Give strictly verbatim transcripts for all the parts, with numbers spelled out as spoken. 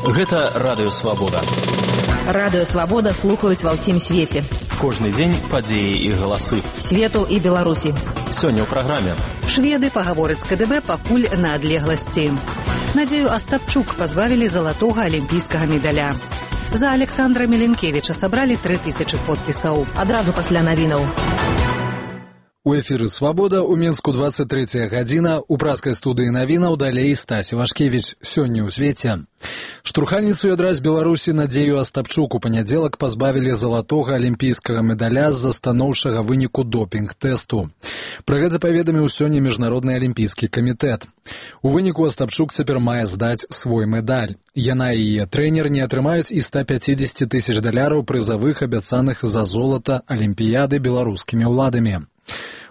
Гэта Радыё Свабода. Радыё Свабода слухаюць ва ўсім свеце. Кожны дзень падзеі і галасы. Свету і Беларусі. Сёння ў праграме. Шведы пагавораць з КДБ пакуль на адлегласці. Надзею Астапчук пазбавілі залатога алімпійскага медаля. За Александра Меленкевіча сабралі тры тысячы подпісаў. Адразу пасля навінаў. У эфіры «Свабода» у Мінску двадцать третья гадзіна. У праскай студыі навінаў далей Стась Івашкевіч. Сёння ў свеце. Штурхальніцу ядра з Беларусі Надзею Астапчук у панядзелак пазбавілі залатога алімпійскага медаля з-за станоўчага выніку допінг-тэсту. Пра гэта паведаміў сёння Міжнародны алімпійскі камітэт. У выніку Астапчук цяпер мае здаць свой медаль. Яна і яе трэнер не атрымаюць і ста пяцідзесяці тысяч даляраў прызавых, абяцаных за золата алімпіяды беларускімі ўладамі.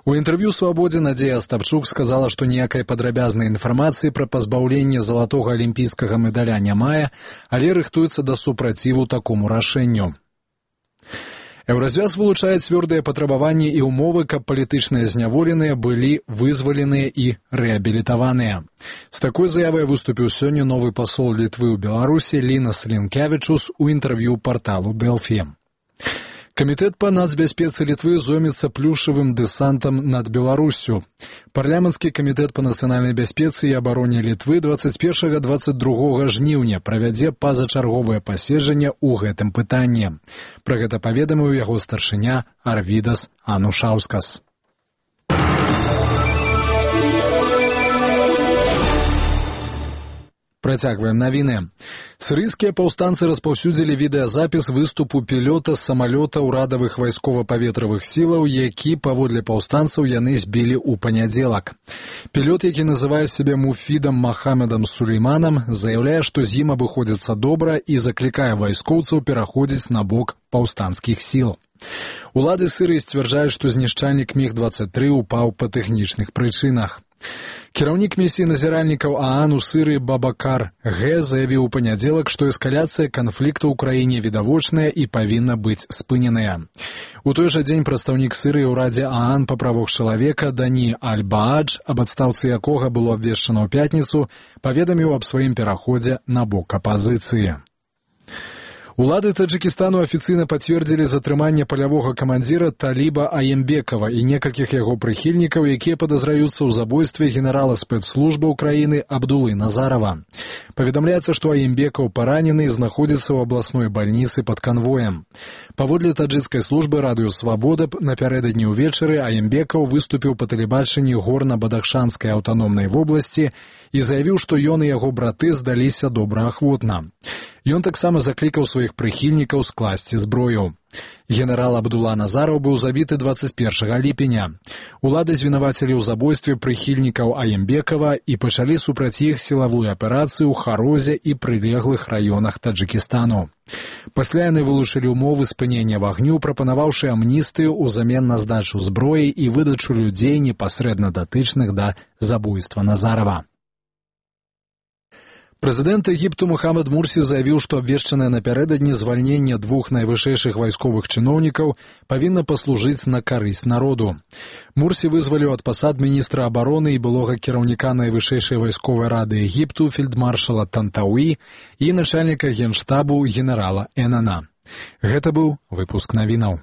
У інтэрв'ю «Свабодзе» Надзея Астапчук сказала, што ніякай падрабязнай інфармацыі пра пазбаўленне залатога алімпійскага медаля не мае, але рыхтуецца да супраціву такому рашэнню. Еўразвяз вылучае цвёрдыя патрабаванні і ўмовы, каб палітычныя зняволеныя былі вызваленыя і рэабілітаваныя. З такой заявай выступіў сёння новы пасол Літвы ў Беларусі Лінас Лінкявічус у інтэрв'ю парталу «Дэлфі». Камітэт па нацбяспецы Літвы зоймецца плюшавым дэсантам над Беларуссю. Парламенtsкі камітэт па нацыянальнай бяспецы і абароне Літвы двадцать першага - двадцать другога жніўня правядзе пазачарговае паседжанне ў гэтым пытанні. Пра гэта паведаміў яго старшыня Арвідас Анушаўскас. Працягваем навіны. Сірыйскія паўстанцы распаўсюдзілі відэазапіс выступу пілёта з самалёта ўрадавых вайскова-паветравых сілаў, які, паводле паўстанцаў, яны збілі ў панядзелак. Пілёт, які называе сябе Муфідам Махамедам Сулейманам, заяўляе, што з ім абыходзіцца добра і заклікае вайскоўцаў пераходзіць на бок паўстанцкіх сіл. Улады Сірыі сцвярджаюць, што знішчальнік міг двадцать тры упаў па тэхнічных прычынах. Кіраўнік місіі назіральнікаў ААН у Сірыі Бабакар Г. заявіў у панядзелак, што эскаляцыя канфлікту ў краіне відавочная і павінна быць спыненая. У той жа дзень прадстаўнік Сірыі ў Радзе ААН па правах чалавека Дані Аль-Баадж, аб адстаўцы якога было абвешчана ў пятніцу, паведаміў аб сваім пераходзе на бок апазіцыі. Улады Таджикистану афіцыйна пацвердзілі затрыманне палявога камандзіра Таліба Аембекова і некалькіх яго прыхільнікаў, якія падазраюцца ў забойстве генерала спецслужбы ўкраіны Абдулы Назарова. Паведамляецца, што Аембекаў паранены і знаходзіцца ў абласной бальніцы пад канвоем. Паводле таджикскай службы «Радыё Свабода» напярэдадні ўвечары Аембекаў выступіў па тэлебачанні горна-бадахшанскай аўтаномнай вобласці і заявіў, што ён і яго браты здаліся добраахвотна. Ён таксама заклікаў сваіх прыхільнікаў скласці зброю. Генерал Абдула Назараў быў забіты двадцать першага ліпеня. Улады звінавацілі ў забойстве прыхільнікаў Аембекава і пачалі супраць іх сілавую аперацыю ў Харозе і прылеглых раёнах Таджикистану. Пасля яны вылучылі ўмовы спынення вагню, прапанаваўшы амністыю ўзамен на здачу зброі і выдачу людзей непасрэдна датычных да забойства Назарава. Прэзідэнт Егіпту Мухаммад Мурсі заявіў, што абвешчанае напярэдадні звальненне двух найвышэйшых вайсковых чыноўнікаў павінна паслужыць на карысць народу. Мурсі вызваліў ад пасад міністра абароны і былога кіраўніка найвышэйшай вайсковай рады Егіпту фельдмаршала Тантауі і начальніка генштабу генерала Энана. Гэта быў выпуск навінаў.